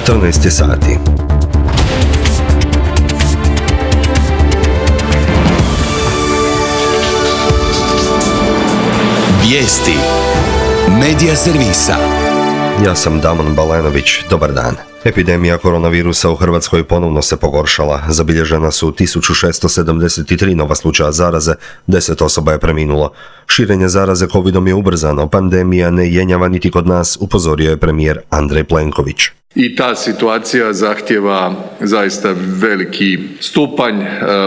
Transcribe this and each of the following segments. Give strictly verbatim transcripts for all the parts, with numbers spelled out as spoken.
četrnaest je sati. Vijesti Medija servisa. Ja sam Damon Balenović, dobar dan. Epidemija koronavirusa u Hrvatskoj ponovno se pogoršala. Zabilježena su tisuću šesto sedamdeset tri nova slučaja zaraze, deset osoba je preminulo. Širenje zaraze covidom je ubrzano, pandemija ne jenjava niti kod nas, upozorio je premijer Andrej Plenković. I ta situacija zahtjeva zaista veliki stupanj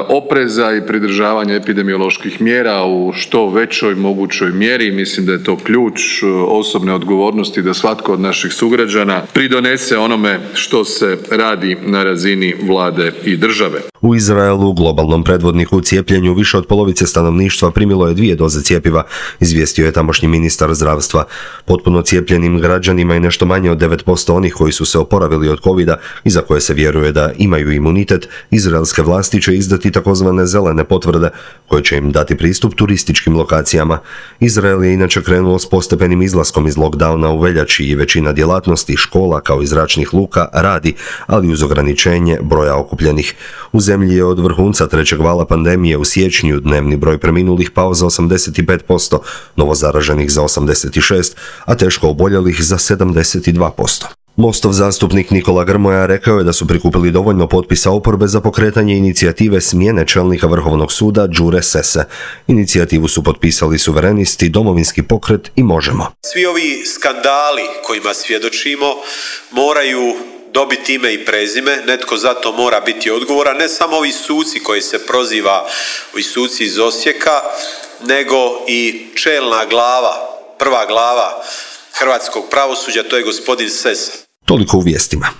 opreza i pridržavanja epidemioloških mjera u što većoj mogućoj mjeri. Mislim da je to ključ osobne odgovornosti da svatko od naših sugrađana pridonese onome što se radi na razini vlade i države. U Izraelu, globalnom predvodniku u cijepljenju, više od polovice stanovništva primilo je dvije doze cjepiva, izvijestio je tamošnji ministar zdravstva. Potpuno cijepljenim građanima je nešto manje od devet posto onih koji su se oporavili od covida i za koje se vjeruje da imaju imunitet. Izraelske vlasti će izdati takozvane zelene potvrde koje će im dati pristup turističkim lokacijama. Izrael je inače krenuo s postepenim izlaskom iz lockdowna u veljači i većina djelatnosti, škola kao i zračnih luka radi, ali uz ograničenje broja okupljenih. U zemlji je od vrhunca trećeg vala pandemije u siječnju dnevni broj preminulih pao za osamdeset pet posto, novozaraženih za osamdeset šest, a teško oboljelih za sedamdeset dva posto. Mostov zastupnik Nikola Grmoja rekao je da su prikupili dovoljno potpisa oporbe za pokretanje inicijative smjene čelnika Vrhovnog suda Đure Sesse. Inicijativu su potpisali Suverenisti, Domovinski pokret i Možemo. Svi ovi skandali kojima svjedočimo moraju dobiti ime i prezime, netko za to mora biti odgovoran, ne samo ovi suci koji se proziva, ovi suci iz Osijeka, nego i čelna glava, prva glava hrvatskog pravosuđa, to je gospodin Sessa. Toliko u vijestima.